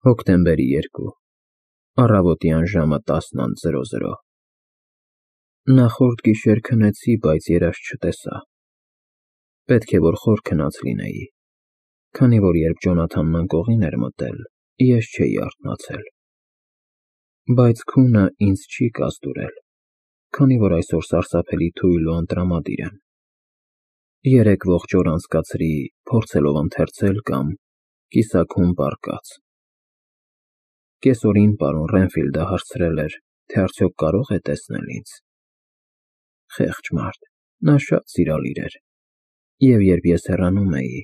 Հոկտեմբերի 2 առավոտյան ժամը 10:00 Նախորդ գիշեր քնեցի, բայց երազ չտեսա։ Պետք է որ խոր քնած լինեի, քանի որ երբ Ջոնաթանն անկողին էր մտել, ես չէի արթնացել։ Բայց քունը ինձ չի կազդուրել, քանի որ այսօր սարսափելի թույլ ու անտրամադիր եմ։ 3 ողջ օր անցկացրի փորձելով ընթերցել կամ կիսաքուն պառկած։ Կեսօրին պարոն Ռենֆիլդը հարցրել էր, թե արդյոք կարող է տեսնել ինձ։ Խեղճ մարդ, նա շատ սիրալիր էր, և երբ ես հեռանում էի,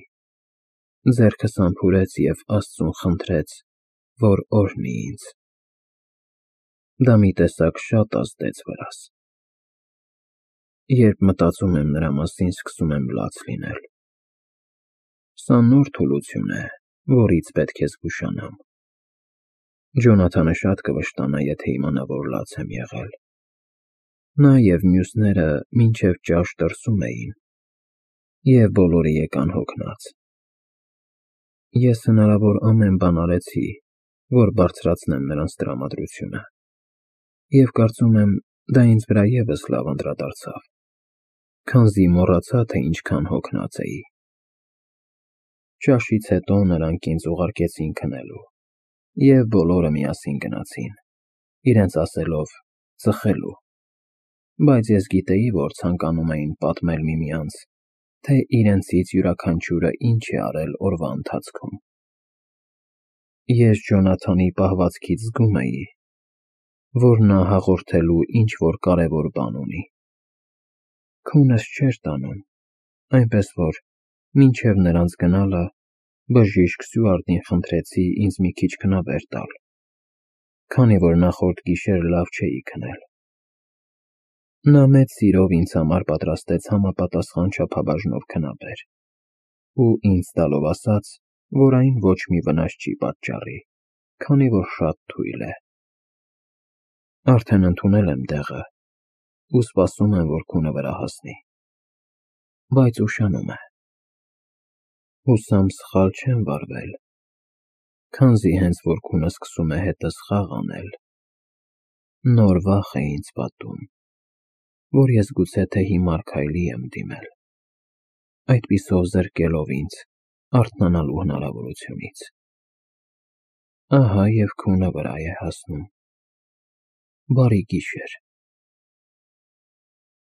ձեռքս համբուրեց և Աստծուն խնդրեց, որ օրհնի ինձ։ Դա մի տեսակ շատ ազդեց վրաս։ Երբ մտածում եմ նրա մասին, սկսում եմ լաց լինել։ Սա նոր թուլություն է, որից պետք է զգուշանամ։ Ջոնաթանը շատ կվշտանա, եթե իմանա, որ լաց եմ եղել։ Նա և մյուսները մինչև ճաշ դրսում էին, և բոլորը եկան հոգնած։ Ես հնարավոր ամեն բան արեցի, որ բարձրացնեմ նրանց տրամադրությունը, և կարծում եմ, դա ինձ վրա ևս լավ անդրադարձավ, քանզի մոռացա, թե ինչքան հոգնած էի։ Ճաշից հետո նրանք ինձ ուղարկեցին քնելու, և բոլորը միասին գնացին, իրենց ասելով ծխելու, բայց ես գիտեի, որ ցանկանում էին պատմել միմյանց, թե իրենցից յուրաքանչյուրը ինչ է արել օրվա ընթացքում։ Ես Ջոնաթանի պահվածքից զգում էի, որ նա հաղորդելու ինչ-որ կարևոր բան ունի։ Քունս չէր տանում, այնպես որ մինչև նրանց գնալը բժիշկ Սյուարտին խնդրեցի ինձ մի քիչ քնաբեր տալ, քանի որ նախորդ գիշեր լավ չէի քնել։ Նա մեծ սիրով ինձ համար պատրաստեց համապատասխան չափաբաժնով քնաբեր ու ինձ տալով ասաց, որ այն ոչ մի վնաս չի պատճառի, քանի որ շատ թույլ է։ Արդեն ընդունել եմ դեղը ու սպասում եմ, որ քունը վրա հասնի։ Բայց ուշանում է։ Հուսամ սխալ չեմ վարվել, քանզի հենց որ քունը սկսում է հետս խաղ անել, նոր վախ է ինձ պատում, որ ես գուցե թե հիմար քայլի եմ դիմել, այդպիսով զրկելով ինձ արթնանալու հնարավորությունից։ Ահա և քունը վրա է հասնում։ Բարի գիշեր։